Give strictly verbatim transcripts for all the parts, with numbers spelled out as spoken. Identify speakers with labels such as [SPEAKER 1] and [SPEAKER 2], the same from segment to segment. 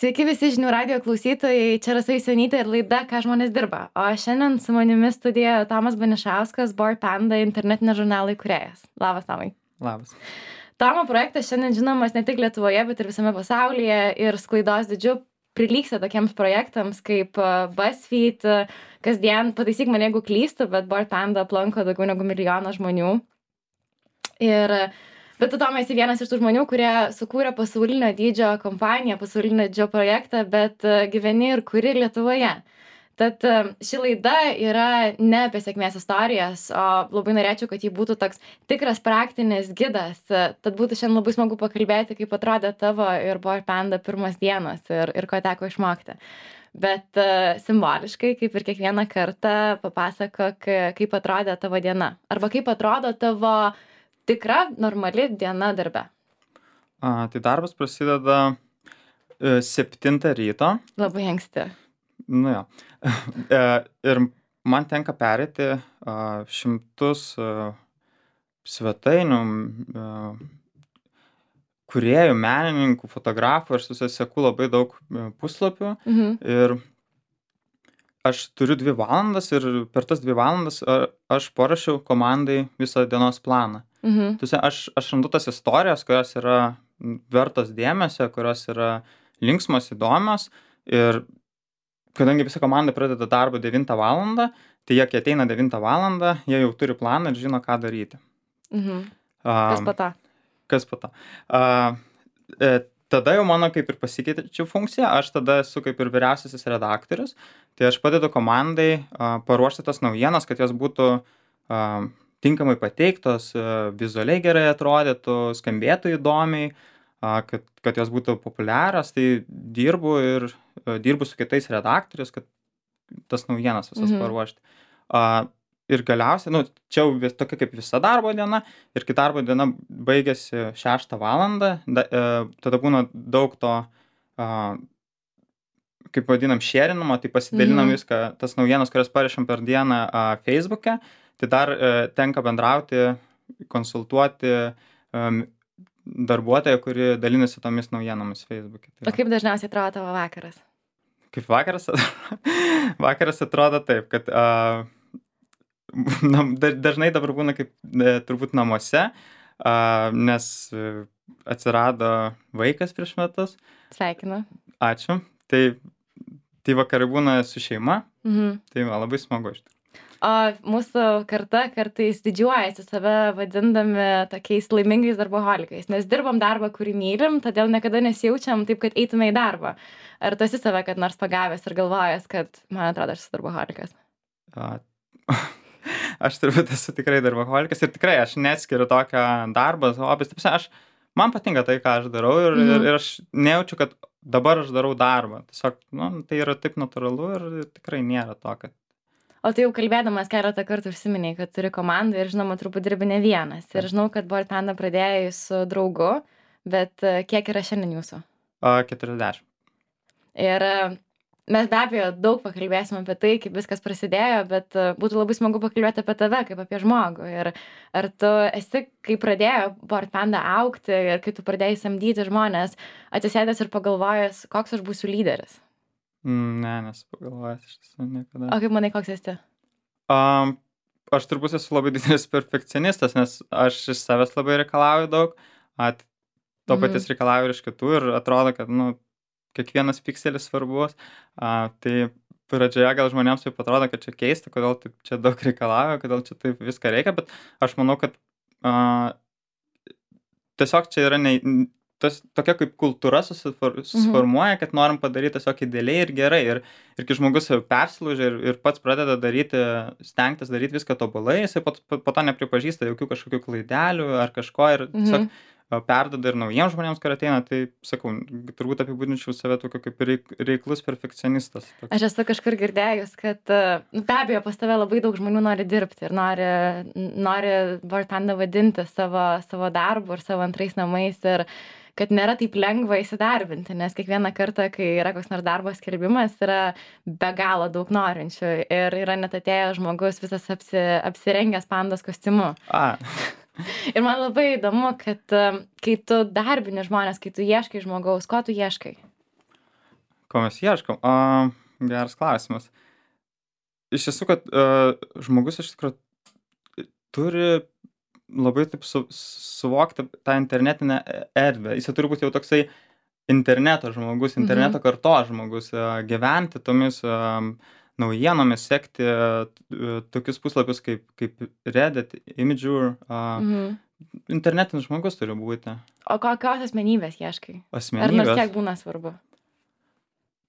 [SPEAKER 1] Sveiki visi žinių radio klausytojai, čia Rasa Jusionytė ir laida Ką žmonės dirba. O šiandien su manimi studijoje Tomas Banišauskas, Bored Panda internetinio žurnalo įkūrėjas. Labas, Tomai.
[SPEAKER 2] Labas.
[SPEAKER 1] Tomo projektas šiandien žinomas ne tik Lietuvoje, bet ir visame pasaulyje ir sklaidos didžiu prilygsta tokiems projektams kaip BuzzFeed, kasdien, pataisyk mane jeigu klystu, bet Bored Panda aplanko daugiau negu milijoną žmonių. Ir Bet tu, Tomai, esi vienas iš tų žmonių, kurie sukūrė pasaulinio dydžio kompaniją, pasaulinio dydžio projektą, bet gyveni ir kuri Lietuvoje. Tad ši laida yra ne apie sėkmės istorijas, o labai norėčiau, kad ji būtų toks tikras praktinis gidas. Tad būtų šiandien labai smagu pakalbėti, kaip atrodė tavo ir Bored Panda pirmas dienos ir, ir ko teko išmokti. Bet uh, simboliškai, kaip ir kiekvieną kartą, papasakok, kaip atrodė tavo diena. Arba kaip atrodo tavo tikra, normali diena darbe.
[SPEAKER 2] A, tai darbas prasideda e, septintą ryto.
[SPEAKER 1] Labai anksti.
[SPEAKER 2] Nu jo. e, ir man tenka pereiti a, šimtus a, svetainių, a, kūrėjų, menininkų, fotografų. Aš susiseku labai daug puslapių.
[SPEAKER 1] Mhm.
[SPEAKER 2] Ir aš turiu dvi valandas ir per tas dvi valandas a, aš parašiau komandai visą dienos planą.
[SPEAKER 1] Mhm.
[SPEAKER 2] Tuose, aš, aš randu tas istorijas, kurios yra vertos dėmesio, kurios yra linksmos, įdomios. Ir kadangi visa komanda pradeda darbą devintą valandą, tai jie, kai ateina devintą valandą, jie jau turi planą ir žino, ką daryti.
[SPEAKER 1] Mhm.
[SPEAKER 2] A,
[SPEAKER 1] Kas po to?
[SPEAKER 2] Kas po to? A, e, tada jau mano kaip ir pasikeičiau funkcija, aš tada esu kaip ir vyriausiasis redaktorius, tai aš padedu komandai a, paruošti tas naujienas, kad jos būtų a, tinkamai pateiktos, vizualiai gerai atrodytų, skambėtų įdomiai, kad, kad jos būtų populiarios, tai dirbu ir dirbu su kitais redaktoriais, kad tas naujienas visas
[SPEAKER 1] Mhm.
[SPEAKER 2] paruošti. Ir galiausiai, nu, čia jau tokia kaip visa darbo diena, ir kai darbo diena baigėsi šeštą valandą, da, tada būna daug to, kaip vadinam, šėrinimo, tai pasidalinam
[SPEAKER 1] Mhm.
[SPEAKER 2] viską, tas naujienas, kurias parašėm per dieną Facebook'e. Tai dar e, tenka bendrauti, konsultuoti um, darbuotoją, kuri dalinasi tomis naujienomis Facebook'e. Tai
[SPEAKER 1] O kaip dažniausiai atrodo tavo vakaras?
[SPEAKER 2] kaip vakaras? Vakaras atrodo taip, kad uh, nam, dažnai dabar būna kaip e, turbūt namuose, uh, nes atsirado vaikas prieš metus.
[SPEAKER 1] Sveikinu.
[SPEAKER 2] Ačiū. Tai, tai vakarai būna su šeima,
[SPEAKER 1] Mhm.
[SPEAKER 2] tai va, labai smagu iš tikrųjų.
[SPEAKER 1] O mūsų karta kartais didžiuojasi save vadindami tokiais laimingais darboholikais, nes dirbam darbą, kurį mylim, todėl niekada nesijaučiam taip, kad eitume į darbą. Ar tu esi save kad nors pagavęs ir galvojęs, kad, man atrodo, aš esu darboholikas?
[SPEAKER 2] A, aš turbūt esu tikrai darboholikas ir tikrai aš neatskiriu tokio darbą, hobis. Aš, man patinka tai, ką aš darau ir,
[SPEAKER 1] Mhm.
[SPEAKER 2] ir, ir aš nejaučiu, kad dabar aš darau darbą. Tiesiog, nu, tai yra taip natūralu ir tikrai nėra to, kad
[SPEAKER 1] O tai jau kalbėdamas keletą kartų užsiminėjai, kad turi komandą ir žinoma, turbūt dirbi ne vienas. Ir žinau, kad Bored Panda pradėjai su draugu, bet kiek yra šiandien jūsų?
[SPEAKER 2] a, keturiasdešimt.
[SPEAKER 1] Ir mes be abejo daug pakalbėsim apie tai, kaip viskas prasidėjo, bet būtų labai smagu pakalbėti apie tave, kaip apie žmogų. Ir ar tu esi, kai pradėjo Bored Panda augti ir kai tu pradėjai samdyti žmonės, atsisėdęs ir pagalvojęs, koks aš būsiu lyderis?
[SPEAKER 2] Ne, nesu pagalvojęs iš tiesų niekada.
[SPEAKER 1] O kaip manai, koks esi?
[SPEAKER 2] Um, aš turbūt esu labai didelis perfekcionistas, nes aš iš savęs labai reikalauju daug, at, to
[SPEAKER 1] Mhm.
[SPEAKER 2] paties reikalauju ir iš kitų ir atrodo, kad nu, kiekvienas pikselis svarbus. A, tai pradžioje gal žmonėms taip atrodo, kad čia keista, kodėl taip čia daug reikalauju, kodėl čia taip viską reikia, bet aš manau, kad a, tiesiog čia yra ne, tas, tokia kaip kultūra susifor, susiformuoja, kad norim padaryti tiesiog idealiai ir gerai. Ir, ir kai žmogus persilaužia ir, ir pats pradeda daryti, stengtis daryti viską tobulai, jisai po, po, po to nepripažįsta jokių kažkokių klaidelių ar kažko ir tiesiog
[SPEAKER 1] Mhm.
[SPEAKER 2] perduoda ir naujiems žmonėms, kurie ateina. Tai, sakau, turbūt apibūdinčiau save tokiu kaip reik, reiklus perfekcionistas. Toks.
[SPEAKER 1] Aš esu kažkur girdėjus, kad nu, be abejo pas tave labai daug žmonių nori dirbti ir nori, nori Bored Panda vadinti savo, savo darbu ir savo antrais namais ir kad nėra taip lengva įsidarbinti, nes kiekvieną kartą, kai yra koks nors darbo skelbimas, yra be galo daug norinčių ir yra net atėjęs žmogus visas apsi, apsirengęs pandos kostiumu.
[SPEAKER 2] A.
[SPEAKER 1] Ir man labai įdomu, kad kai tu darbini žmonės, kai tu ieškai žmogaus, ko tu ieškai?
[SPEAKER 2] Ko mes ieškom? A, geras klausimas. Iš tiesų, kad uh, žmogus iš tikrųjų turi labai taip su, suvokti tą internetinę erdvę. Jis turi būti jau toksai interneto žmogus, interneto
[SPEAKER 1] Mhm.
[SPEAKER 2] kartos žmogus, uh, gyventi tomis um, naujienomis, sekti uh, tokius puslapius kaip, kaip Reddit, Imgur. Uh,
[SPEAKER 1] Mhm.
[SPEAKER 2] internetinis žmogus turi būti.
[SPEAKER 1] O kokios asmenybės ieškai? Ar nors
[SPEAKER 2] Asmenybės.
[SPEAKER 1] kiek būna svarbu?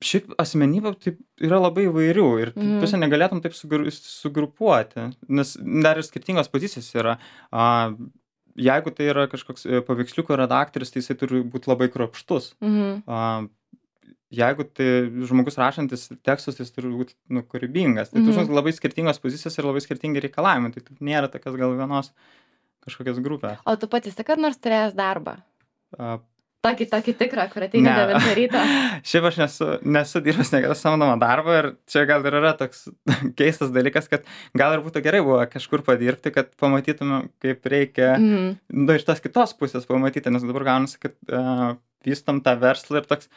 [SPEAKER 2] Šiaip asmenybė taip yra labai įvairių ir tu
[SPEAKER 1] Mhm.
[SPEAKER 2] tu negalėtum taip sugru sugrupuoti, nes dar ir skirtingos pozicijos yra. A, jeigu tai yra kažkoks e, paveiksliukų redaktorius, tai jisai turi būt labai kruopštus.
[SPEAKER 1] Mhm.
[SPEAKER 2] A, jeigu tai žmogus rašantis tekstus, tai jis turi būt, nu, kūrybingas. Tai
[SPEAKER 1] Mhm.
[SPEAKER 2] tu žinai, labai skirtingos pozicijos ir labai skirtingi reikalavimai, tai taip nėra tokios gal vienos kažkokios grupės.
[SPEAKER 1] O tu pats esi kad nors turėjęs darbą?
[SPEAKER 2] A,
[SPEAKER 1] Tokį, tokį tikrą, kur ateini
[SPEAKER 2] Ne.
[SPEAKER 1] devintą ryto.
[SPEAKER 2] Šiaip aš nesu, nesu dirbęs niekada samdomą darbą ir čia gal ir yra toks keistas dalykas, kad gal ir būtų gerai buvo kažkur padirbti, kad pamatytumėm, kaip reikia,
[SPEAKER 1] Mhm.
[SPEAKER 2] nu, iš tos kitos pusės pamatyti, nes dabar gaunasi, kad uh, vystom tą verslą ir toks,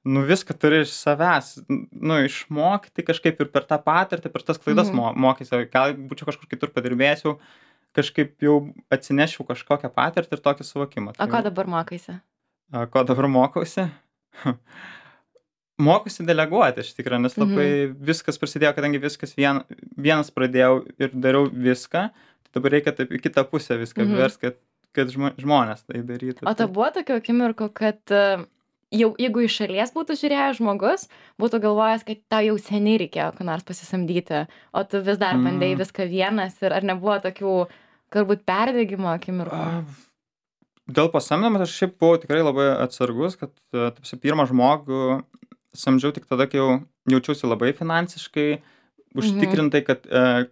[SPEAKER 2] nu, viską turi iš savęs, nu, išmokti kažkaip ir per tą patirtį, per tas klaidas
[SPEAKER 1] Mhm.
[SPEAKER 2] mo mokysi, gal būčiau kažkur kitur padirbėsiu, kažkaip jau atsinešiau kažkokią patirtį ir tokį suvokimą.
[SPEAKER 1] O ko dabar mokaisi?
[SPEAKER 2] A, ko dabar mokausi? Mokausi deleguoti iš tikrųjų, nes labai viskas prasidėjo, kadangi viskas vien, vienas pradėjau ir dariau viską, tai dabar reikia taip į kitą pusę viską
[SPEAKER 1] Mhm.
[SPEAKER 2] vers, kad, kad žmo, žmonės tai darytų.
[SPEAKER 1] O ta buvo tokių akimirkų, kad e, jau jeigu iš šalies būtų žiūrėjęs žmogus, būtų galvojęs, kad tau jau seniai reikėjo ką nors pasisamdyti, o tu vis dar
[SPEAKER 2] Mm.
[SPEAKER 1] bandėjai viską vienas ir ar nebuvo tokių galbūt perdegimo akimirkų?
[SPEAKER 2] A, Dėl pasamdymo aš šiaip buvau tikrai labai atsargus, kad e, taip, pirmą žmogų samdžiau tik tada, kai jau jaučiausi labai finansiškai užtikrintai, kad, e,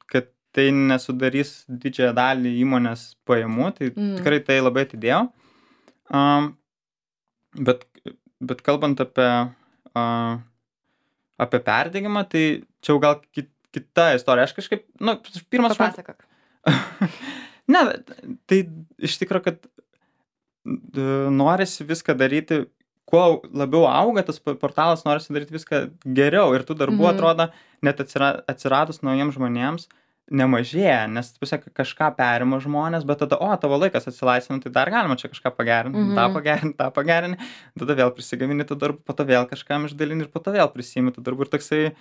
[SPEAKER 2] kad tai nesudarys didžiąją dalį įmonės pajamų, tai
[SPEAKER 1] Mm.
[SPEAKER 2] tikrai tai labai atidėjau. Um, bet, bet kalbant apie, uh, apie perdegimą, tai čia jau gal kit, kita istorija. Aš kažkaip, nu, pirmas žmogus.
[SPEAKER 1] Papasakok.
[SPEAKER 2] Ne, tai iš tikrųjų, kad d- norisi viską daryti, kuo labiau auga tas p- portalas, norisi daryti viską geriau ir tų darbų
[SPEAKER 1] Mhm.
[SPEAKER 2] atrodo, net atsira, atsiradus naujiems žmonėms, nemažėja, nes tu pasiekai kažką perima žmonės, bet tada, o, tavo laikas atsilaisvina, tai dar galima čia kažką pagerinti,
[SPEAKER 1] Mhm.
[SPEAKER 2] tą pagerinti, tą pagerinti, tada vėl prisigamini tų darbų, po to vėl kažkam išdalini ir po to vėl prisimi tų darbų ir toksai,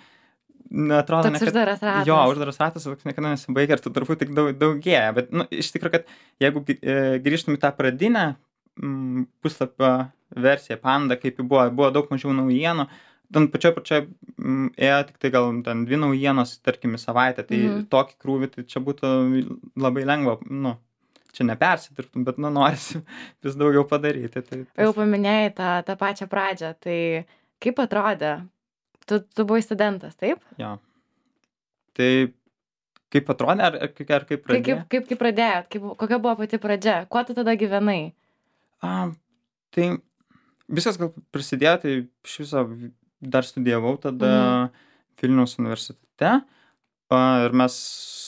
[SPEAKER 2] neatrodo,
[SPEAKER 1] Toks uždaras ratas.
[SPEAKER 2] Jo, uždaras ratas, toks niekada nesibaigia ir tų darbų tik daug, daugėja. Bet, nu, iš tikrųjų, kad jeigu gi- e, grįžtum į tą pradinę mm, puslapio versiją, Panda, kaip ji buvo, buvo daug mažiau naujienų, ten pačioj pačioj mm, ėjo tik tai gal ten dvi naujienos, tarkim, į savaitę, tai
[SPEAKER 1] Mhm.
[SPEAKER 2] tokį krūvį, tai čia būtų labai lengva, nu, čia nepersidirbtum, bet, nu, norisi vis daugiau padaryti. Tai,
[SPEAKER 1] Jau paminėjai tą, tą pačią pradžią, tai kaip atrodė? Tu, tu buvai studentas, taip?
[SPEAKER 2] jo. Tai kaip atrodė, ar, ar, kaip- ar kaip
[SPEAKER 1] Kaip,
[SPEAKER 2] pradėjo?
[SPEAKER 1] kaip, kaip, kaip pradėjot? Kaip, kokia buvo pati pradžia? Kuo tu tada gyvenai?
[SPEAKER 2] A, tai viskas gal prasidėjo, tai iš viso dar studijavau tada Vilniaus universitete a, ir mes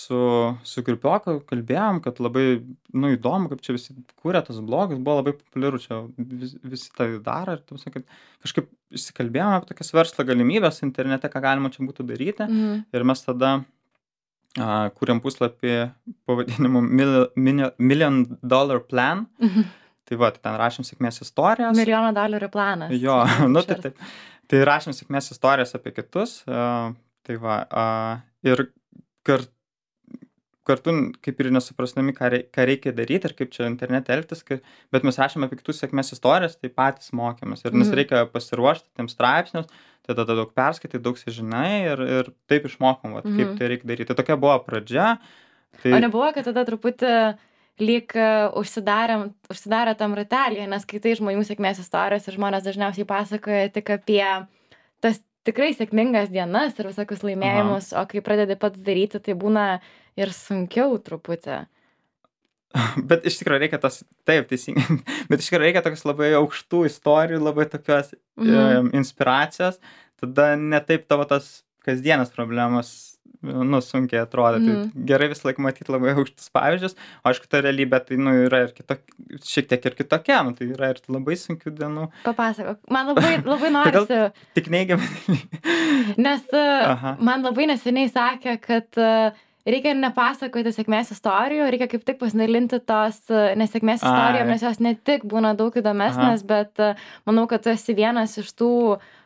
[SPEAKER 2] su, su grupioku kalbėjom, kad labai, nu, įdomu, kaip čia visi kūrė tas blogus, buvo labai populiaru, čia vis, visi tai daro ir tu sakai, kad kažkaip įsikalbėjome apie tokias verslo galimybės internete, ką galima čia būtų daryti
[SPEAKER 1] Mhm.
[SPEAKER 2] ir mes tada a, kūrėm puslapį pavadinimu Mil, Mil, Million Dollar Plan. Tai va, tai ten rašėm sėkmės istorijas.
[SPEAKER 1] Milijono dolerių planas.
[SPEAKER 2] Jo,
[SPEAKER 1] Taip,
[SPEAKER 2] nu tai
[SPEAKER 1] išverst.
[SPEAKER 2] taip. Tai rašėm sėkmės istorijas apie kitus. Uh, tai va, uh, ir kar, kartu kaip ir nesuprasdami, ką, rei, ką reikia daryti ir kaip čia internete elgtis, kai, bet mes rašėm apie kitus sėkmės istorijas, tai patys mokėmės. Ir nes
[SPEAKER 1] Mhm.
[SPEAKER 2] reikia pasiruošti tiems straipsnius, tai tada daug perskaitai, daug sužinai ir, ir taip išmokom, vat, kaip
[SPEAKER 1] Mhm.
[SPEAKER 2] tai reikia daryti. Tai tokia buvo pradžia. Tai,
[SPEAKER 1] O nebuvo, kad tada truputį lyg e, užsidarėm, užsidarė tam ratelėje, nes kai tai žmonių sėkmės istorijos ir žmonės dažniausiai pasakoja tik apie tas tikrai sėkmingas dienas ir visokius laimėjimus, o kai pradedi pats daryti, tai būna ir sunkiau truputį.
[SPEAKER 2] Bet iš tikrųjų reikia tas, taip, teisingai, bet iš tikrųjų reikia tokios labai aukštų istorijų, labai tokios
[SPEAKER 1] Mhm.
[SPEAKER 2] e, inspiracijos, tada ne taip tavo tas kasdienas problemas nu, sunkiai atrodo.
[SPEAKER 1] Mhm.
[SPEAKER 2] Tai gerai visą laiką matyti labai aukštus pavyzdžius. O aišku, ta realybė, tai, nu, yra ir kitok, šiek tiek ir kitokia, nu, tai yra ir labai sunkių dienų.
[SPEAKER 1] Papasakok. Man labai, labai
[SPEAKER 2] Kodėl
[SPEAKER 1] norisi,
[SPEAKER 2] tik neigiamai?
[SPEAKER 1] nes uh,
[SPEAKER 2] Aha.
[SPEAKER 1] man labai neseniai sakė, kad uh, reikia nepasakoti sėkmės istorijų, reikia kaip tik pasidalinti tos uh, nesėkmės
[SPEAKER 2] Ai.
[SPEAKER 1] istorijom, nes jos ne tik būna daug įdomesnės, bet uh, manau, kad tu esi vienas iš tų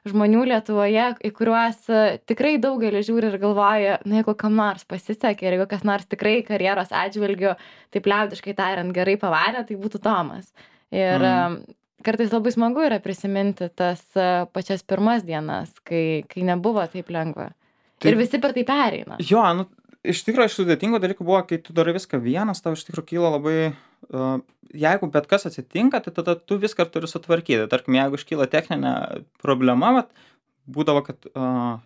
[SPEAKER 1] žmonių Lietuvoje, į kuriuos uh, tikrai daugelis žiūri ir galvoja, na, jeigu kam nors pasisekė ir jeigu kas nors tikrai karjeros atžvilgiu, taip liaudiškai tariant, gerai pavarė, tai būtų Tomas. Ir
[SPEAKER 2] Mm.
[SPEAKER 1] um, kartais labai smagu yra prisiminti tas uh, pačias pirmas dienas, kai, kai nebuvo taip lengva.
[SPEAKER 2] Tai-
[SPEAKER 1] Ir visi per tai pereina.
[SPEAKER 2] Jo, nu, iš tikrųjų, iš sudėtingų dalykų buvo, kai tu darai viską vienas, tau iš tikrųjų kyla labai, uh, jeigu bet kas atsitinka, tai tada tu viską turi sutvarkyti. Tarkim, jeigu iškyla techninė problema, vat, būdavo, kad uh,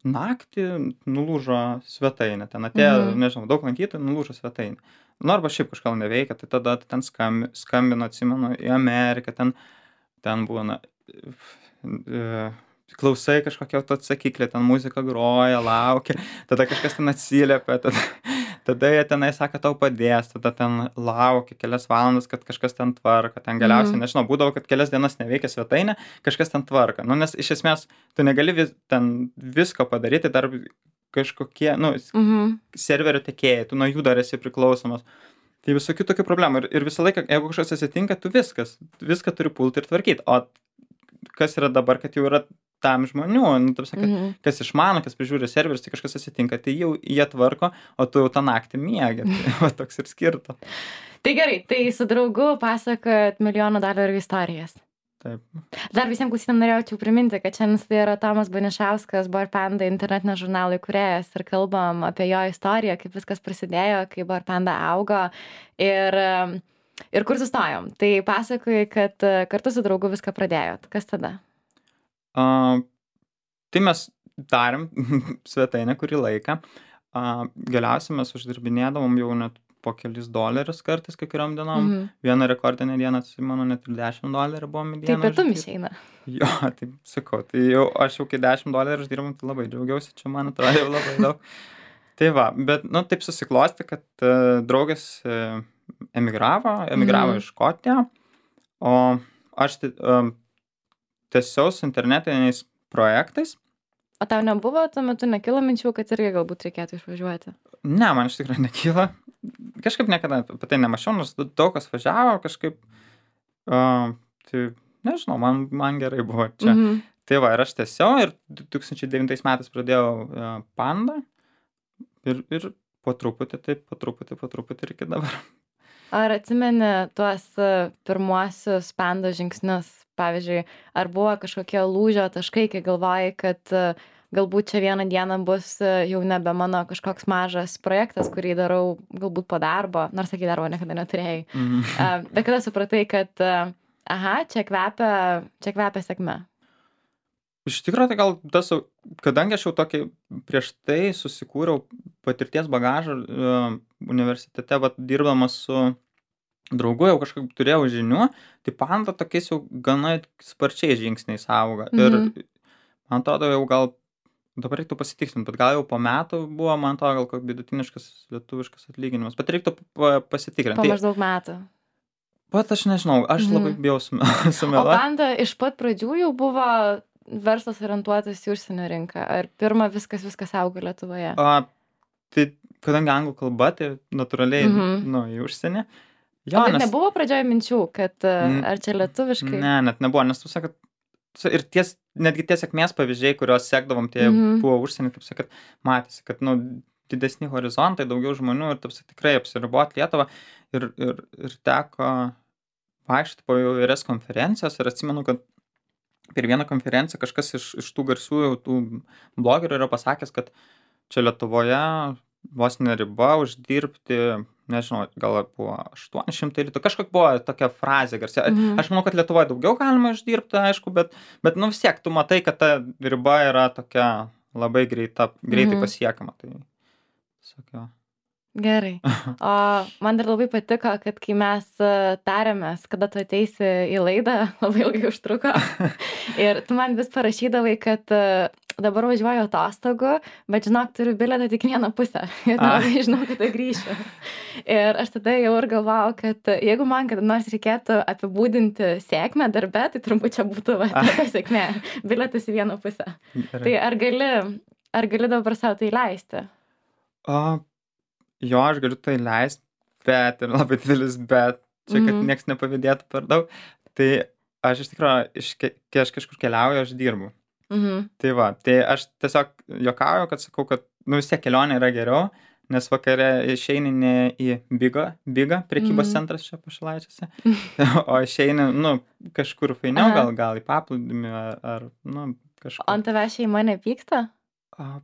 [SPEAKER 2] naktį nulūžo svetainė, ten atėjo,
[SPEAKER 1] Mhm.
[SPEAKER 2] nežinau, daug lankytojų, nulūžo svetainė. Nu, arba šiaip kažką neveikia, tai tada ten skambi, skambino, atsimenu, į Ameriką, ten, ten būna, e, klausai kažkokia atsakyklė, ten muzika groja, laukia, tada kažkas ten atsiliepia, tada, tada jie tenai sako, tau padės, tada ten laukia kelias valandas, kad kažkas ten tvarka, ten galiausiai,
[SPEAKER 1] Mhm.
[SPEAKER 2] nežinau, būdavo, kad kelias dienas neveikia svetainė, kažkas ten tvarka. Nu, nes iš esmės tu negali vis, ten visko padaryti, dar kažkokie, nu,
[SPEAKER 1] Mhm.
[SPEAKER 2] serverio tiekėjai, tu nuo jų dar esi priklausomas. Tai visokių tokių problemų. Ir, ir visą laiką, jeigu kažkas atsitinka, tu viskas, viską turi pulti ir tvarkyti. O kas yra dabar, kad jau yra tam žmonių, nu, taip sakant,
[SPEAKER 1] Mhm.
[SPEAKER 2] kas išmano, kas prižiūri serverius, tai kažkas atsitinka, tai jau jie tvarko, o tu jau tą naktį miegi. Tai va, toks ir skirta.
[SPEAKER 1] Tai gerai, tai su draugu pasakojat milijono dolerių istorijas.
[SPEAKER 2] Taip.
[SPEAKER 1] Dar visiems klausytėm norėjau priminti, kad šiandien tai yra Tomas Banišauskas, Barpanda internetinio žurnalo įkūrėjas ir kalbam apie jo istoriją, kaip viskas prasidėjo, kaip Barpanda augo ir, ir kur sustojom. Tai pasakoji, kad kartu su draugu viską pradėjot. Kas tada?
[SPEAKER 2] Uh, tai mes darėm svetainę kurį laiką. Uh, galiausiai mes uždirbinėdavom jau net po kelis dolerius kartais kai kuriom dienom.
[SPEAKER 1] Mhm.
[SPEAKER 2] Vieną rekordinę dieną, atsimenu, net ir dešimt dolerių buvom į
[SPEAKER 1] Tai
[SPEAKER 2] dieną.
[SPEAKER 1] pietum
[SPEAKER 2] uždirb-
[SPEAKER 1] išeina.
[SPEAKER 2] Jo, tai sakau, tai jau aš jau kai dešimt dolerių uždirbam, tai labai džiaugiausi, čia man atrodo jau labai daug. Tai va, bet, nu, taip susiklosti, kad uh, draugas uh, emigravo, emigravo
[SPEAKER 1] Mhm.
[SPEAKER 2] iš Škotiją, o aš tai, um, tiesiog su internetiniais projektais.
[SPEAKER 1] O tau nebuvo, tuo metu nekilo minčių, kad irgi galbūt reikėtų išvažiuoti?
[SPEAKER 2] Ne, man iš tikrųjų nekyla. Kažkaip niekada apie tai nemačiau, nors daug kas važiavo, kažkaip, uh, tai nežinau, man, man gerai buvo čia.
[SPEAKER 1] Mhm.
[SPEAKER 2] Tai va, ir aš tiesiog ir du tūkstančiai devintais metais pradėjau uh, Pandą ir, ir po truputį, taip, po truputį, po truputį ir iki dabar.
[SPEAKER 1] Ar atsimeni tuos uh, pirmuosius Pando žingsnius? Pavyzdžiui, ar buvo kažkokie lūžio taškai, kai galvojai, kad uh, galbūt čia vieną dieną bus uh, jau nebe mano kažkoks mažas projektas, kurį darau galbūt po darbo, nors sakė, darbo niekada neturėjai.
[SPEAKER 2] Mhm.
[SPEAKER 1] Uh, bet kada supratai, kad uh, aha, čia kvepia, čia kvepia sėkme.
[SPEAKER 2] Iš tikrųjų, tai gal tas, jau- kadangi aš jau tokį prieš tai susikūriau patirties bagažą uh, universitete, vat, dirbdamas su draugu, jau kažkaip turėjau žinių, tai Panda tokiais jau gana sparčiais žingsniais auga.
[SPEAKER 1] Mhm.
[SPEAKER 2] Ir man atrodo, jau gal, dabar reiktų pasitikslinti, bet gal jau po metų buvo, man atrodo, gal koks vidutiniškas lietuviškas atlyginimas, bet reiktų pa- pasitikrinti.
[SPEAKER 1] Po
[SPEAKER 2] Tai,
[SPEAKER 1] maždaug metų.
[SPEAKER 2] pat aš nežinau, aš
[SPEAKER 1] Mhm.
[SPEAKER 2] labai bijau sume-
[SPEAKER 1] O
[SPEAKER 2] sumeluoti.
[SPEAKER 1] Panda iš pat pradžių jau buvo verslas orientuotas į užsienio rinką. Ar pirma viskas, viskas augo Lietuvoje?
[SPEAKER 2] A, tai kadangi anglų kalba, tai natūraliai,
[SPEAKER 1] Mhm.
[SPEAKER 2] nu, į užsienį.
[SPEAKER 1] O bet nebuvo pradžioje minčių, kad uh,
[SPEAKER 2] Mm,
[SPEAKER 1] ar čia lietuviškai?
[SPEAKER 2] Ne, net nebuvo, nes tu sakai, ir ties, netgi tie sėkmės pavyzdžiai, kuriuos sekdavom, tie
[SPEAKER 1] Mhm.
[SPEAKER 2] buvo užsienį, taip sakant, matėsi, kad, nu, didesni horizontai, daugiau žmonių ir taip sakant, tikrai apsiriboti Lietuvą ir, ir, ir teko vaikščioti po įvairias konferencijas ir atsimenu, kad per vieną konferenciją kažkas iš, iš tų garsiųjų tų blogerių yra pasakęs, kad čia Lietuvoje vos neriba uždirbti, nežinau, gal buvo aštuoni šimtai litų, kažkokia buvo tokia frazė garsia.
[SPEAKER 1] Mhm.
[SPEAKER 2] Aš manau, kad Lietuvoje daugiau galima uždirbti, aišku, bet, bet nu vis tiek, tu matai, kad ta riba yra tokia labai greita, greitai
[SPEAKER 1] Mhm.
[SPEAKER 2] pasiekama. Tai, sakau.
[SPEAKER 1] Gerai. O man dar labai patiko, kad kai mes uh, tarėmės, kada tu ateisi į laidą, labai ilgai užtruko. Ir tu man vis parašydavai, kad uh, dabar važiuoju atostogų, bet žinok, turiu bilietą tik vieną pusę ir nelabai žinau, kada grįšiu. Ir aš tada jau ir galvojau, kad jeigu man kada nors reikėtų apibūdinti sėkmę darbe, tai turbūt čia būtų va, tokia sėkmė, bilietas į vieną pusę.
[SPEAKER 2] Gerai.
[SPEAKER 1] Tai ar gali, ar gali dabar savo tai leisti?
[SPEAKER 2] O, jo, aš galiu tai leisti, bet ir labai didelis bet, čia kad
[SPEAKER 1] Mhm.
[SPEAKER 2] nieks nepavydėtų per daug. Tai aš iš tikrųjų, iš, ke- kai aš kažkur keliauju, aš dirbu.
[SPEAKER 1] Mhm.
[SPEAKER 2] Tai va, tai aš tiesiog juokauju, kad sakau, kad nu vis tiek kelionė yra geriau, nes vakare išeini ne į Bigą, Bigą, prekybos
[SPEAKER 1] Mhm.
[SPEAKER 2] centras čia Pašilaičiuose, o išeini, nu, kažkur fainiau,
[SPEAKER 1] Aha.
[SPEAKER 2] gal, gal į paplūdimį ar, ar nu,
[SPEAKER 1] O
[SPEAKER 2] kažkur.
[SPEAKER 1] ant tavęs šeima nepyksta?
[SPEAKER 2] A,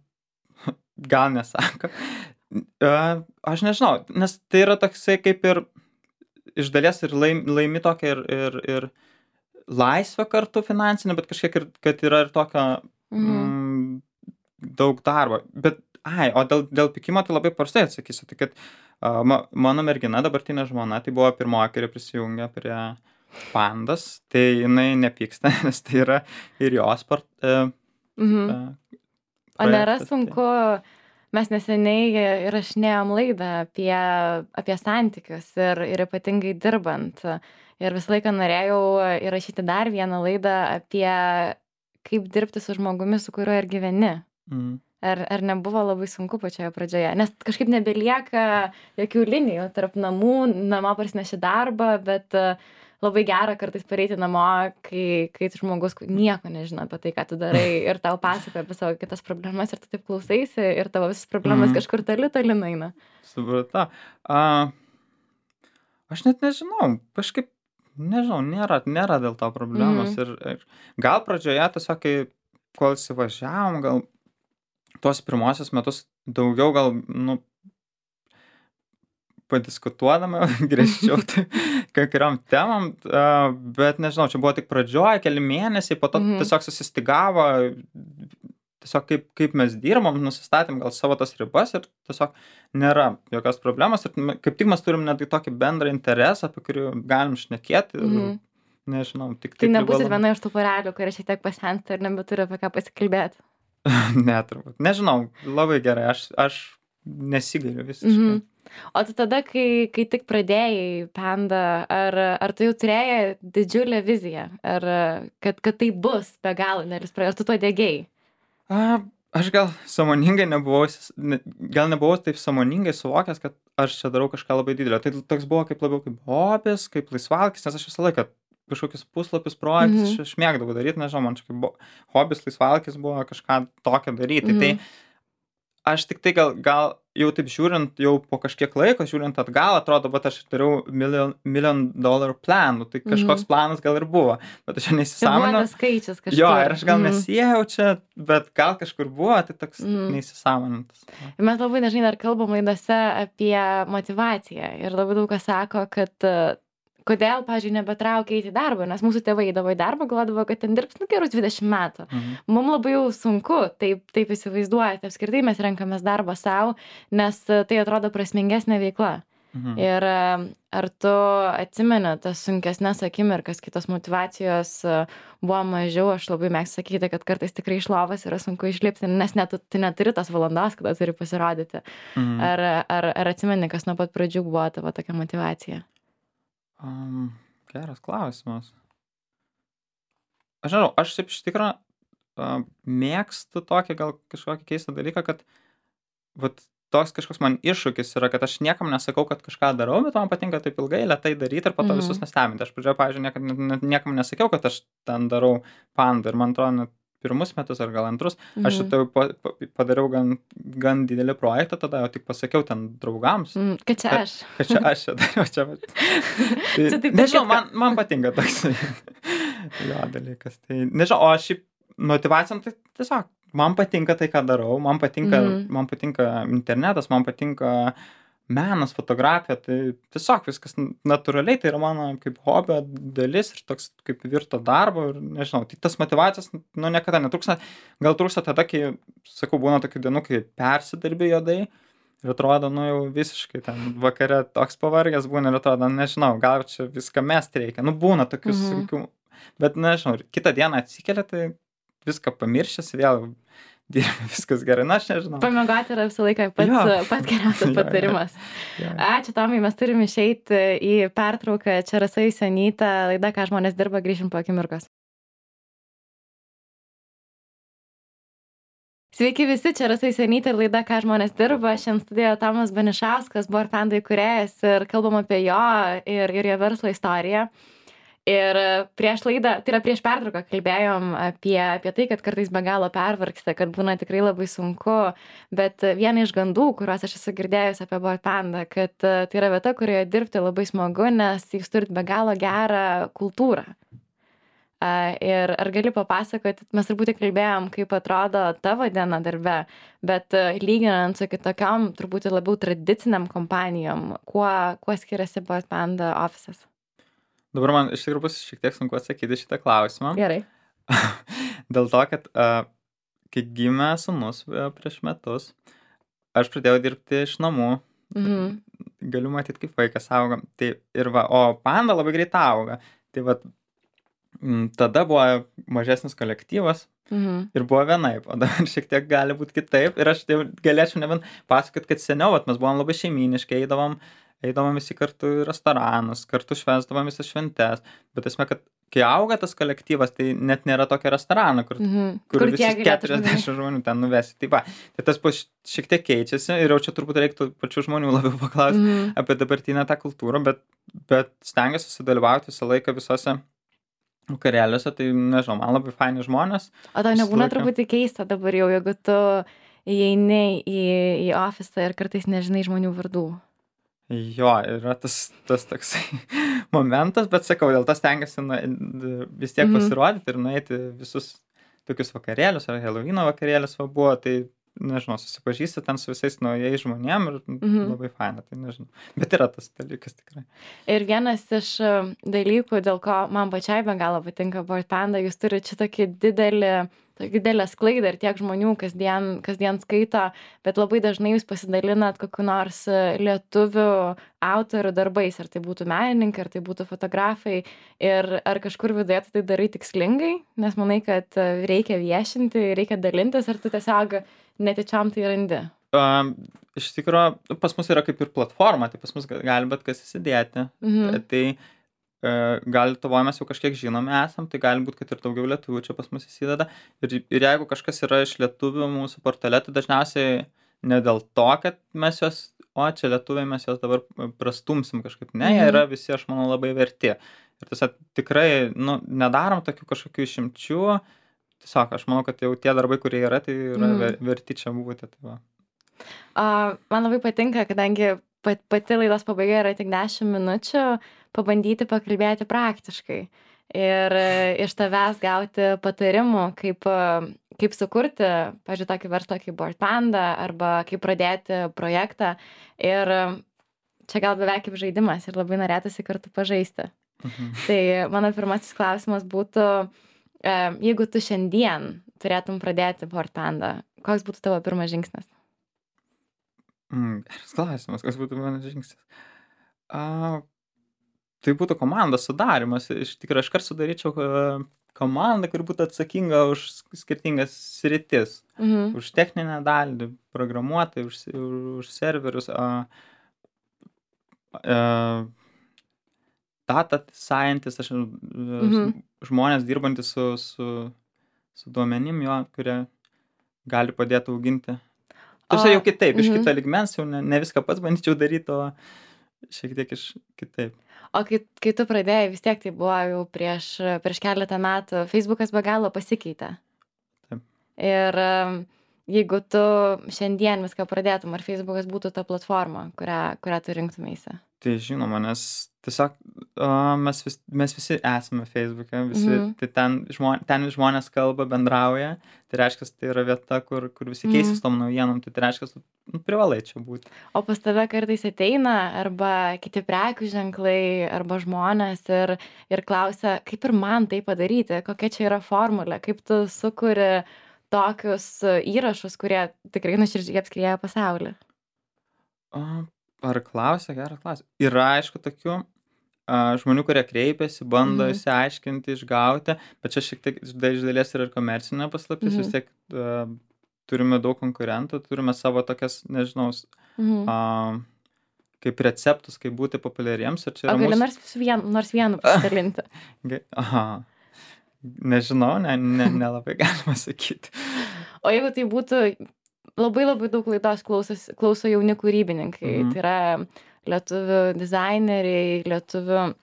[SPEAKER 2] gal nesako. A, aš nežinau, nes tai yra toksai kaip ir iš dalies ir laim, laimi tokia ir, ir, ir laisvę kartu finansinę, bet kažkiek ir, kad yra ir tokio
[SPEAKER 1] Mhm.
[SPEAKER 2] mm, daug darbo. Bet, ai, o dėl, dėl pykimo tai labai paprastai atsakysiu. Tai kad a, ma, mano mergina, dabartinė žmona, tai buvo pirmoji, kuri prisijungė prie pandas, tai jinai nepyksta, nes tai yra ir jos sport. E,
[SPEAKER 1] Mhm.
[SPEAKER 2] e,
[SPEAKER 1] O nėra
[SPEAKER 2] projektas, tai-
[SPEAKER 1] sunku, mes neseniai įrašinėjom laidą apie, apie santykius ir, ir ypatingai dirbant. Ir visą laiką norėjau įrašyti dar vieną laidą apie kaip dirbti su žmogumi, su kuriuo ir gyveni.
[SPEAKER 2] Mm.
[SPEAKER 1] Ar, ar nebuvo labai sunku pačioje pradžioje? Nes kažkaip nebelieka jokių linijų tarp namų, namo parsineši darbą, bet uh, labai gera kartais pareiti namo, kai, kai žmogus nieko nežino apie tai, ką tu darai ir tau pasakoja apie savo kitas problemas ir tu taip klausaisi ir tavo visas problemas
[SPEAKER 2] Mhm.
[SPEAKER 1] kažkur toli toli nueina.
[SPEAKER 2] Supratau. A, aš net nežinau, kažkaip, nežinau, nėra, nėra dėl to problemos.
[SPEAKER 1] Mhm.
[SPEAKER 2] Ir, ir gal pradžioje tiesiog, kai kol įsivažiavom, gal tuos pirmosius metus daugiau gal, nu, padiskutuodama griežčiau tai kai kuriom temom, a, bet nežinau, čia buvo tik pradžioje, keli mėnesiai, po to
[SPEAKER 1] Mhm.
[SPEAKER 2] tiesiog susistigavo, tiesiog kaip, kaip mes dirbam, nusistatėm gal savo tas ribas ir tiesiog nėra jokios problemos ir m- kaip tik mes turim netgi tokį bendrą interesą, apie kurį galim šnekėti ir
[SPEAKER 1] Mhm.
[SPEAKER 2] nežinau, tik
[SPEAKER 1] Tai
[SPEAKER 2] tik
[SPEAKER 1] nebūsit
[SPEAKER 2] privalom-
[SPEAKER 1] viena iš tų porelių, kurie šiek tiek pasensta ir nebeturi apie ką pasikalbėti.
[SPEAKER 2] Ne, turbūt. Nežinau, labai gerai, aš, aš nesigailiu visiškai.
[SPEAKER 1] Mhm. O tu tada, kai, kai tik pradėjai Panda, ar, ar tu jau turėjai didžiulę viziją, ar kad, kad tai bus be galo, nelis praėjo, ar tu to dėgiai?
[SPEAKER 2] A, aš gal sąmoningai nebuvau, įsis- ne- gal nebuvau taip sąmoningai suvokęs, kad aš čia darau kažką labai didelio. Tai toks buvo kaip labiau kaip hobis, kaip laisvalkis, nes aš visą laiką kažkokius puslapius, projektus,
[SPEAKER 1] Mhm.
[SPEAKER 2] aš, aš mėgdavau daryti, nežinau, man čia kaip buvo, hobis, laisvalkis buvo kažką tokio daryti.
[SPEAKER 1] Mhm.
[SPEAKER 2] Tai aš tik tai gal, gal jau taip žiūrint, jau po kažkiek laiko, žiūrint atgal, atrodo, bet aš dariau million, million dollar plan, nu, tai kažkoks
[SPEAKER 1] Mhm.
[SPEAKER 2] planas gal ir buvo, bet aš
[SPEAKER 1] Tai buvo
[SPEAKER 2] neįsisąmoninau.
[SPEAKER 1] tas skaičius kažkur.
[SPEAKER 2] Jo, ir aš gal
[SPEAKER 1] Mhm.
[SPEAKER 2] nesijau čia, bet gal kažkur buvo, tai toks
[SPEAKER 1] Mhm.
[SPEAKER 2] neįsisąmonintas.
[SPEAKER 1] Ir mes labai dažnai dar kalbam laidose apie motivaciją ir labai daug kas sako, kad e, kodėl, pavyzdžiui, nebetraukia eiti į darbą, nes mūsų tėvai eidavo į darbą, galvodavo, kad ten dirbs nu gerus dvidešimt metų.
[SPEAKER 2] Mhm.
[SPEAKER 1] Mums labai jau sunku taip, taip įsivaizduoti, apskritai mes renkamės darbą savo, nes e, tai atrodo prasmingesnė veikla.
[SPEAKER 2] Mhm.
[SPEAKER 1] Ir e, ar tu atsimeni tas sunkesnes akimirkas, kitos motivacijos e, buvo mažiau, aš labai mėgstu sakyti, kad kartais tikrai iš lovos yra sunku išlipti, nes net tu tu neturi tos valandos, kada turi pasirodyti.
[SPEAKER 2] Mhm.
[SPEAKER 1] Ar, ar, ar atsimeni, kas nuo pat pradžių buvo tavo tokia motivacija?
[SPEAKER 2] Um, geras klausimas. Aš žinau, aš šiaip iš tikrųjų uh, mėgstu tokį gal kažkokį keistą dalyką, kad vat, toks kažkoks man iššūkis yra, kad aš niekam nesakau, kad kažką darau, bet man patinka taip ilgai, lėtai daryti ir po to
[SPEAKER 1] Mhm.
[SPEAKER 2] visus nestebinti. Aš pradžioje, pavyzdžiui, niekad, ne- ne- niekam nesakiau, kad aš ten darau pandą ir man atrodo, net pirmus metus ar gal antrus, aš
[SPEAKER 1] Mhm.
[SPEAKER 2] šitą jau pa, pa, padariau gan, gan didelį projektą, tada jau tik pasakiau ten draugams,
[SPEAKER 1] Mm, kad čia
[SPEAKER 2] Kad-
[SPEAKER 1] aš.
[SPEAKER 2] kad čia aš čia dariau, čia. vat. Tai,
[SPEAKER 1] Čia taip
[SPEAKER 2] nežinau,
[SPEAKER 1] tarp
[SPEAKER 2] man, man patinka toks jo dalykas. Tai nežinau, o šiaip motivacijom tai tiesiog, man patinka tai, ką darau, man patinka,
[SPEAKER 1] Mhm.
[SPEAKER 2] man patinka internetas, man patinka menas, fotografija, tai tiesiog viskas natūraliai, tai yra mano kaip hobio dalis ir toks kaip virto darbo ir nežinau, tai tas motyvacijos, nu, niekada netrūksta, gal trūksta tada, kai, sakau, būna tokių dienų, kai persidarbi juodai ir atrodo, nu jau visiškai ten vakare toks pavargęs būna ir atrodo, nežinau, gal čia viską mest reikia, nu būna tokių
[SPEAKER 1] Mhm.
[SPEAKER 2] sunkių, bet nežinau, ir kitą dieną atsikelia, tai viską pamiršęs, vėl dirbi, viskas gerai, na, aš nežinau.
[SPEAKER 1] Pamiegoti yra visą laiką pats,
[SPEAKER 2] Jo.
[SPEAKER 1] pats geriausias patarimas.
[SPEAKER 2] Jo, jo.
[SPEAKER 1] Ačiū, Tomai, mes turim išeiti į pertrauką. Čia Rasa Jusionytė, laida, ką žmonės dirba, grįžim po akimirkos. Sveiki visi, čia Rasa Jusionytė ir laida, ką žmonės dirba. Šiandien studijoje Tomas Banišauskas, Boardpanda įkūrėjas, ir kalbam apie jo ir, ir jo verslo istoriją. Ir prieš laidą, tai yra prieš pertrauką, kalbėjom apie, apie tai, kad kartais be galo pervargsta, kad būna tikrai labai sunku, bet viena iš gandų, kuriuos aš esu girdėjus apie Boardpanda, kad tai yra vieta, kurioje dirbti labai smagu, nes jūs turit be galo gerą kultūrą. Ir ar gali papasakoti, mes turbūt kalbėjom, kaip atrodo tavo diena darbe, bet lyginant su kitokiom, turbūt labiau tradiciniam kompanijom, kuo, kuo skiriasi Boardpanda ofisas?
[SPEAKER 2] Dabar man iš tikrųjų bus šiek tiek sunku atsakyti šitą klausimą.
[SPEAKER 1] Gerai.
[SPEAKER 2] Dėl to, kad uh, kai gimė sūnus uh, prieš metus, aš pradėjau dirbti iš namų. Mhm. Galiu matyti, kaip vaikas auga. Tai ir va, o Panda labai greit auga. Tai va, m, tada buvo mažesnis kolektyvas. Mhm. Ir buvo vienaip, o dabar šiek tiek gali būti kitaip. Ir aš tai galėčiau nebent pasakoti, kad seniau vat, mes buvom labai šeiminiškai, eidavom eidavom visi kartu į restoranus, kartu švęsdavom visas šventes, bet esmė, kad kai auga tas kolektyvas, tai net nėra tokio restorano, kur, mm-hmm. kur, kur visi keturiasdešimt žmonių ten nuvesi. Tai va, tai tas šiek tiek keičiasi ir jau čia turbūt reiktų pačių žmonių labiau paklausti mm-hmm. apie dabartinę tą kultūrą, bet, bet stengiuosi sudalyvauti visą laiką visose vakarėliuose, tai nežinau, man labai faini žmonės.
[SPEAKER 1] O tau nebūna truputį keista dabar jau, jeigu tu įeini į, į ofisą ir kartais nežinai žmonių vardų?
[SPEAKER 2] Jo, yra tas, tas toksai momentas, bet sakau, dėl to stengiasi nu, vis tiek pasirodyti mm-hmm. ir nueiti visus tokius vakarėlius, ar Helovyno vakarėlis va buvo, tai, nežinau, susipažįsti ten su visais naujais žmonėm ir mm-hmm. labai faina, tai nežinau. Bet yra tas dalykas tikrai.
[SPEAKER 1] Ir vienas iš dalykų, dėl ko man pačiai be galo patinka Boardpanda, jūs turite šitokį didelį didelę sklaidą ir tiek žmonių kasdien, kasdien skaito, bet labai dažnai jūs pasidalinat kokiu nors lietuvių autorių darbais, ar tai būtų menininkai, ar tai būtų fotografai, ir ar kažkur viduje tai darai tikslingai, nes manai, kad reikia viešinti, reikia dalintis, ar tu tiesiog netyčiom tai randi?
[SPEAKER 2] Um, iš tikrųjų, pas mus yra kaip ir platforma, tai pas mus gali bet kas įsidėti. Mhm. Tai gal Lietuvoje mes jau kažkiek žinomi esam, tai gali būti, kad ir daugiau lietuvių čia pas mus įsideda. Ir, ir jeigu kažkas yra iš lietuvių mūsų portale, tai dažniausiai ne dėl to, kad mes juos, o čia lietuviai mes juos dabar prastumsim kažkaip. Ne, jie yra visi, aš manau, labai verti. Ir tiesiog tikrai, nu, nedarom tokių kažkokių išimčių. Tiesiog aš manau, kad jau tie darbai, kurie yra, tai yra mm. verti čia būti. Tai va.
[SPEAKER 1] Uh, man labai patinka, kadangi pati laidos pabaiga yra tik dešimt minučių, pabandyti pakalbėti praktiškai ir iš tavęs gauti patarimų, kaip, kaip sukurti, pavyzdžiui, tokį verslą kaip Boardpanda arba kaip pradėti projektą. Ir čia gal beveik kaip žaidimas ir labai norėtųsi kartu pažaisti. Mhm. Tai mano pirmasis klausimas būtų, jeigu tu šiandien turėtum pradėti Boardpanda, koks būtų tavo pirmas žingsnis?
[SPEAKER 2] Mm, geras klausimas, kas būtų mano žingsnis. A, tai būtų komandos sudarimas. Iš tikrųjų, aš kart sudaryčiau komandą, kuri būtų atsakinga už skirtingas sritis. Mhm. Už techninę dalį, programuotojai, už, už serverius, a, a, data scientist, aš, mhm. žmonės dirbantys su, su, su duomenim, jo, kurie gali padėti auginti. Tarsi jau kitaip, iš kito lygmens, jau ne, ne viską pats bandyčiau daryti, o šiek tiek iš kitaip.
[SPEAKER 1] O kai, kai tu pradėjai, vis tiek tai buvo jau prieš, prieš keletą metų, Facebookas be galo pasikeitė.
[SPEAKER 2] Taip.
[SPEAKER 1] Ir jeigu tu šiandien viską pradėtum, ar Facebookas būtų ta platforma, kurią, kurią tu rinktumeisi?
[SPEAKER 2] Tai žinoma, nes tiesiog uh, mes, vis, mes visi esame Facebook'e, visi, mm. tai ten, žmon, ten žmonės kalba, bendrauja, tai reiškia, tai yra vieta, kur, kur visi keisis mm. tom naujienom, tai, tai reiškia, nu, privalai čia būti.
[SPEAKER 1] O pas tave kartais ateina arba kiti prekių ženklai, arba žmonės ir, ir klausia, kaip ir man tai padaryti, kokia čia yra formulė, kaip tu sukuri tokius įrašus, kurie tikrai nuoširdžiai apskrieja pasaulį.
[SPEAKER 2] Uh. Ar klausia, geras klausia. Yra, aišku, tokių, a, žmonių, kurie kreipiasi, bando
[SPEAKER 1] Mhm.
[SPEAKER 2] išsiaiškinti, išgauti, bet čia šiek tiek iš da- iš dalies yra ir komercinė paslaptis,
[SPEAKER 1] Mhm.
[SPEAKER 2] vis tiek a, turime daug konkurentų, turime savo tokias, nežinau, s-
[SPEAKER 1] Mhm.
[SPEAKER 2] a, kaip receptus, kaip būti populiariems ir čia
[SPEAKER 1] O
[SPEAKER 2] yra
[SPEAKER 1] gali
[SPEAKER 2] mūsų...
[SPEAKER 1] nors su vienu, nors vienu pasidalinti.
[SPEAKER 2] Ge- Aha, nežinau, ne, ne, nelabai galima sakyti.
[SPEAKER 1] O jeigu tai būtų labai labai daug laidos klausos, klauso jauni kūrybininkai,
[SPEAKER 2] Mhm.
[SPEAKER 1] tai yra lietuvių dizaineriai, lietuvių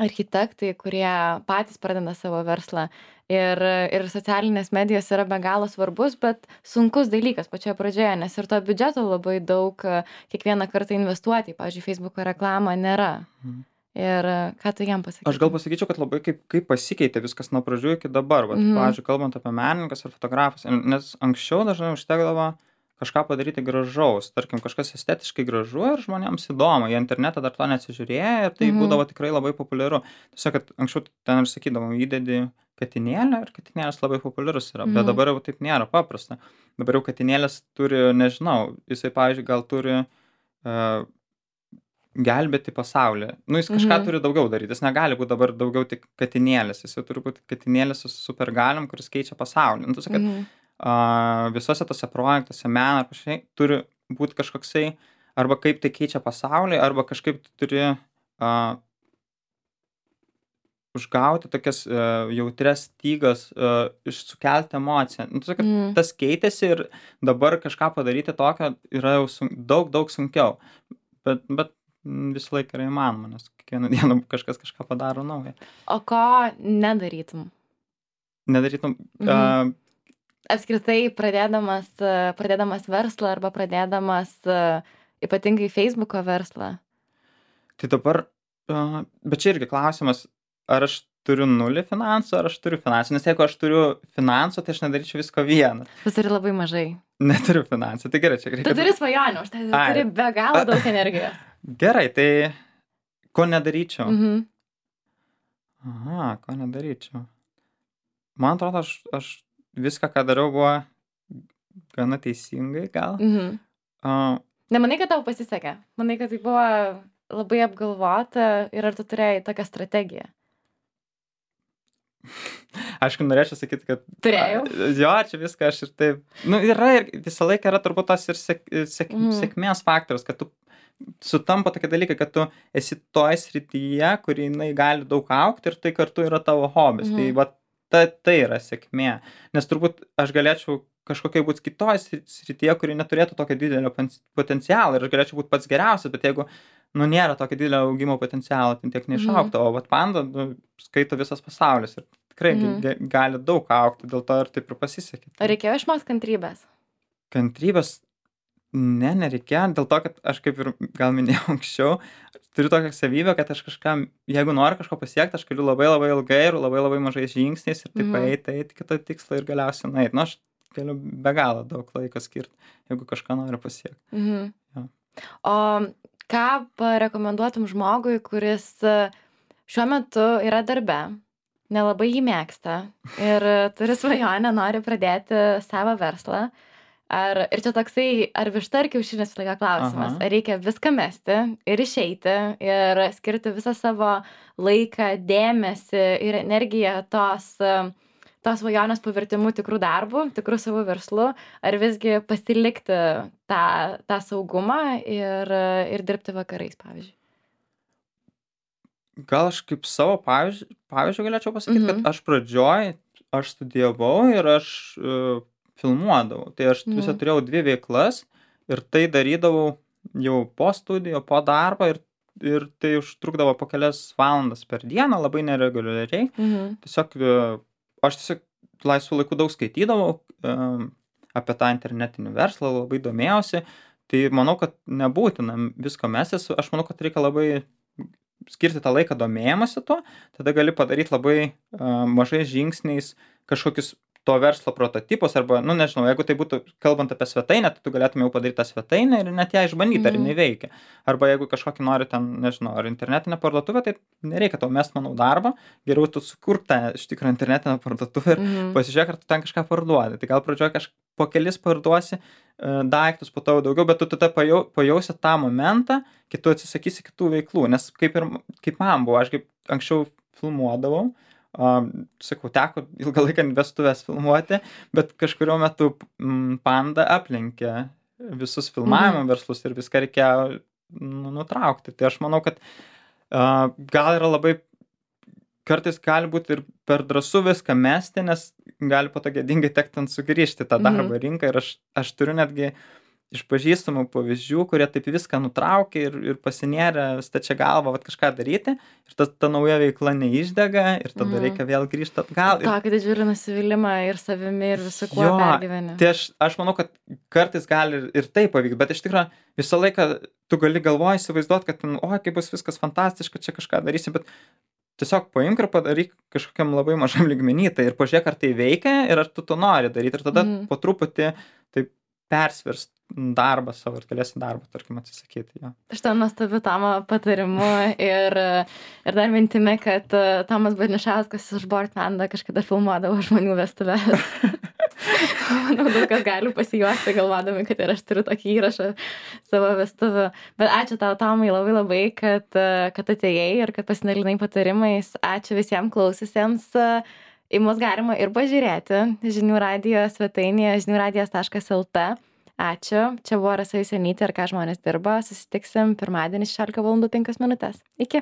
[SPEAKER 1] architektai, kurie patys pradeda savo verslą. Ir, ir socialinės medijos yra be galo svarbus, bet sunkus dalykas pačioje pradžioje, nes ir to biudžeto labai daug e, kiekvieną kartą investuoti, pavyzdžiui, Facebook'o reklamą nėra.
[SPEAKER 2] Mhm.
[SPEAKER 1] Ir e, ką tu jam
[SPEAKER 2] Aš
[SPEAKER 1] pasakytum?
[SPEAKER 2] gal pasakyčiau, kad labai kaip, kaip pasikeitė viskas nuo pradžių iki dabar. Vat,
[SPEAKER 1] Mhm.
[SPEAKER 2] pavyzdžiui, kalbant apie menininkas ar fotografus, nes anksčiau dažnai užtekdavo kažką padaryti gražaus. Tarkim, kažkas estetiškai gražu ir žmonėms įdomu. Jie internetą dar to neatsižiūrėjo ir tai
[SPEAKER 1] Mhm.
[SPEAKER 2] būdavo tikrai labai populiaru. Tiesiog, kad anksčiau ten ir sakydavom, įdedi katinėlę ir katinėlis labai populiarus yra. Bet
[SPEAKER 1] Mhm.
[SPEAKER 2] dabar jau taip nėra paprasta. Dabar jau katinėlis turi, nežinau, jisai, pavyzdžiui, gal turi uh, gelbėti pasaulį. Nu, jis kažką
[SPEAKER 1] Mhm.
[SPEAKER 2] turi daugiau daryti. Jis negali būti dabar daugiau tik katinėlis. Jis jau turi būti katinėlis su supergaliom, kuris keičia pasaulį. Nu, tu sakai, kad
[SPEAKER 1] Mhm.
[SPEAKER 2] a, visose tose projektuose, meną ar panašiai, turi būti kažkoksai, arba kaip tai keičia pasaulį, arba kažkaip tu turi a, užgauti tokias a, jautrias stygas, a, iš sukelti emociją. Nu, tu sakai, kad
[SPEAKER 1] Mhm.
[SPEAKER 2] tas keitėsi ir dabar kažką padaryti tokio yra jau sun, daug, daug sunkiau. Bet, bet mm, visą laiką yra įmanoma, nes kiekvieną dieną kažkas kažką padaro naują.
[SPEAKER 1] O ko nedarytum?
[SPEAKER 2] Nedarytum,
[SPEAKER 1] Mhm.
[SPEAKER 2] a,
[SPEAKER 1] Apskritai, pradėdamas, e, pradėdamas verslą arba pradėdamas e, ypatingai Facebook'o verslą.
[SPEAKER 2] tai dabar, a, bet čia irgi klausimas, ar aš turiu nulį finansų, ar aš turiu finansų. Nes jeigu aš turiu finansų, tai aš nedaryčiau visko vienas.
[SPEAKER 1] Tu turi labai mažai.
[SPEAKER 2] Neturiu finansų. Tai gerai, čia
[SPEAKER 1] Tu
[SPEAKER 2] reikia.
[SPEAKER 1] turi svajonę, už tai tu
[SPEAKER 2] Ai.
[SPEAKER 1] turi be galo daug energijos.
[SPEAKER 2] Gerai, tai ko nedaryčiau?
[SPEAKER 1] Mhm.
[SPEAKER 2] Aha, ko nedaryčiau. Man atrodo, aš, aš viską, ką dariau, buvo gana teisingai, gal.
[SPEAKER 1] Mhm.
[SPEAKER 2] A,
[SPEAKER 1] Nemanai, kad tau pasisekė? Manai, kad tai buvo labai apgalvota ir ar tu turėjai tokią strategiją?
[SPEAKER 2] aišku, norėčiau sakyti, kad...
[SPEAKER 1] Turėjau.
[SPEAKER 2] A, Jo, čia viską aš ir taip... Nu, yra ir visą laiką yra turbūt tas ir sek, sek,
[SPEAKER 1] Mhm.
[SPEAKER 2] sėkmės faktorius, kad tu sutampa tokie dalykai, kad tu esi toj srityje, kur jinai gali daug augti ir tai kartu yra tavo hobis.
[SPEAKER 1] Mhm.
[SPEAKER 2] Tai va, ta, tai yra sėkmė. Nes turbūt aš galėčiau kažkokiai būti kitoj sri- srityje, kuri neturėtų tokio didelio pon- potencialo ir aš galėčiau būti pats geriausias, bet jeigu, nu, nėra tokio didelio augimo potencialo, tai tiek neišaugtų. O vat panda, nu, skaito visas pasaulis ir tikrai
[SPEAKER 1] Mhm.
[SPEAKER 2] ge- gali daug augti, dėl to ir taip ir pasisekė.
[SPEAKER 1] Ar reikėjo išmokti kantrybės?
[SPEAKER 2] Kantrybės, ne, nereikėjo, dėl to, kad aš kaip ir gal minėjau anksčiau, turiu tokią savybę, kad aš kažkam, jeigu noriu kažko pasiekti, aš galiu labai labai ilgai ir labai labai mažais žingsniais ir taip
[SPEAKER 1] Mhm.
[SPEAKER 2] eiti, eiti kitą tikslą ir galiausiai nueiti. Nu, aš galiu be galo daug laiko skirti, jeigu kažką noriu pasiekti.
[SPEAKER 1] Mhm.
[SPEAKER 2] Jo.
[SPEAKER 1] O ką parekomenduotum žmogui, kuris e, šiuo metu yra darbe, nelabai jį mėgsta ir e, turi svajonę, nori pradėti savo verslą? Ar, ir čia toksai, ar višta ar kiaušinis visą laiką klausimas.
[SPEAKER 2] Aha.
[SPEAKER 1] Ar reikia viską mesti ir išeiti ir skirti visą savo laiką, dėmesį ir energiją tos, e, tos svajonės pavertimu tikrų darbų, tikrų savo verslu, ar visgi pasilikti tą, tą saugumą ir, ir dirbti vakarais, pavyzdžiui.
[SPEAKER 2] Gal aš kaip savo pavyzdžių, pavyzdžių galėčiau pasakyti,
[SPEAKER 1] Mhm.
[SPEAKER 2] kad aš pradžioj, aš studijavau ir aš uh, filmuodavau. Tai aš
[SPEAKER 1] Mhm.
[SPEAKER 2] visą turėjau dvi veiklas ir tai darydavau jau po studijų, po darbo ir, ir tai užtrukdavo po kelias valandas per dieną, labai nereguliariai.
[SPEAKER 1] Mhm.
[SPEAKER 2] Tiesiog e, aš tiesiog laisvu laiku daug skaitydavau um, apie tą internetinį verslą, labai domėjausi. Tai manau, kad nebūtina visko mestis. Aš manau, kad reikia labai skirti tą laiką domėjimąsi tuo, tada gali padaryti labai uh, mažais žingsniais kažkokius to verslo prototipus, arba, nu nežinau, jeigu tai būtų, kalbant apie svetainę, tai tu galėtum jau padaryti tą svetainę ir net ją išbandyti, ar
[SPEAKER 1] Mhm.
[SPEAKER 2] jinai veikia. Arba jeigu kažkokį nori ten, nežinau, ar internetinę parduotuvę, tai nereikia tau mest, manau, darbą, geriau tu sukurk tą iš tikrųjų internetinę parduotuvę ir
[SPEAKER 1] Mhm.
[SPEAKER 2] pasižiūrėk, ar tu ten kažką parduodi. Tai gal pradžioje kažką po kelis parduosi, daiktus, po to daugiau, bet tu tada pajau, pajausi tą momentą, kai tu atsisakysi kitų veiklų, nes kaip ir kaip man buvo, aš kaip anksčiau filmuodavau, um, sakau, teko ilgą laiką vestuvės filmuoti, bet kažkurio metu m, Panda aplenkė visus filmavimo
[SPEAKER 1] Mhm.
[SPEAKER 2] verslus ir viską reikėjo nu, nutraukti. Tai aš manau, kad uh, gal yra labai kartais gali būti ir per drąsu viską mesti, nes gali po to gėdingai tekti ant sugrįžti tą darbo
[SPEAKER 1] Mhm.
[SPEAKER 2] rinką ir aš, aš turiu netgi iš pažįstamų pavyzdžių, kurie taip viską nutraukė ir, ir pasinėrė stačia galva vat, kažką daryti ir ta, ta nauja veikla neišdega ir tada
[SPEAKER 1] Mhm.
[SPEAKER 2] reikia vėl grįžti atgal. Ir,
[SPEAKER 1] Tokį didžiulį nusivylimą ir savimi, ir visu kuo
[SPEAKER 2] jo,
[SPEAKER 1] pergyveni.
[SPEAKER 2] tai aš, aš manau, kad kartais gali ir, ir tai pavykti, bet iš tikrųjų visą laiką tu gali galvoje įsivaizduoti, kad, ten, oi, kaip bus viskas fantastiška, čia kažką darysi, bet tiesiog paimk ir padaryk kažkokiam labai mažam lygmenį tai ir pažiūrėk, ar tai veikia ir ar tu to nori daryti. Ir tada
[SPEAKER 1] Mhm.
[SPEAKER 2] po truputį taip persvirs darbą savo ir galėsi darbą, tarkim, atsisakyti. Jo.
[SPEAKER 1] Šitą nuostabiu Tomo patarimu ir, ir dar mintimi, kad uh, Tomas Barnišauskas iš Bored Panda kažkada filmuodavo žmonių vestuves. Manau, daug kas gali pasijuokti, galvodami, kad ir aš turiu tokį įrašą savo vestuvių. Bet ačiū tau, Tomai, labai labai, kad, uh, kad atėjai ir kad pasidalinai patarimais. Ačiū visiems klaususiems. Uh, Į mus galima ir pažiūrėti žinių radijo svetainėje žinių radijas taškas lt. Ačiū. Čia buvo Rasa Jusionytė ir ką žmonės dirba. Susitiksim pirmadienį šešiolika valandų penkios minutės. Iki.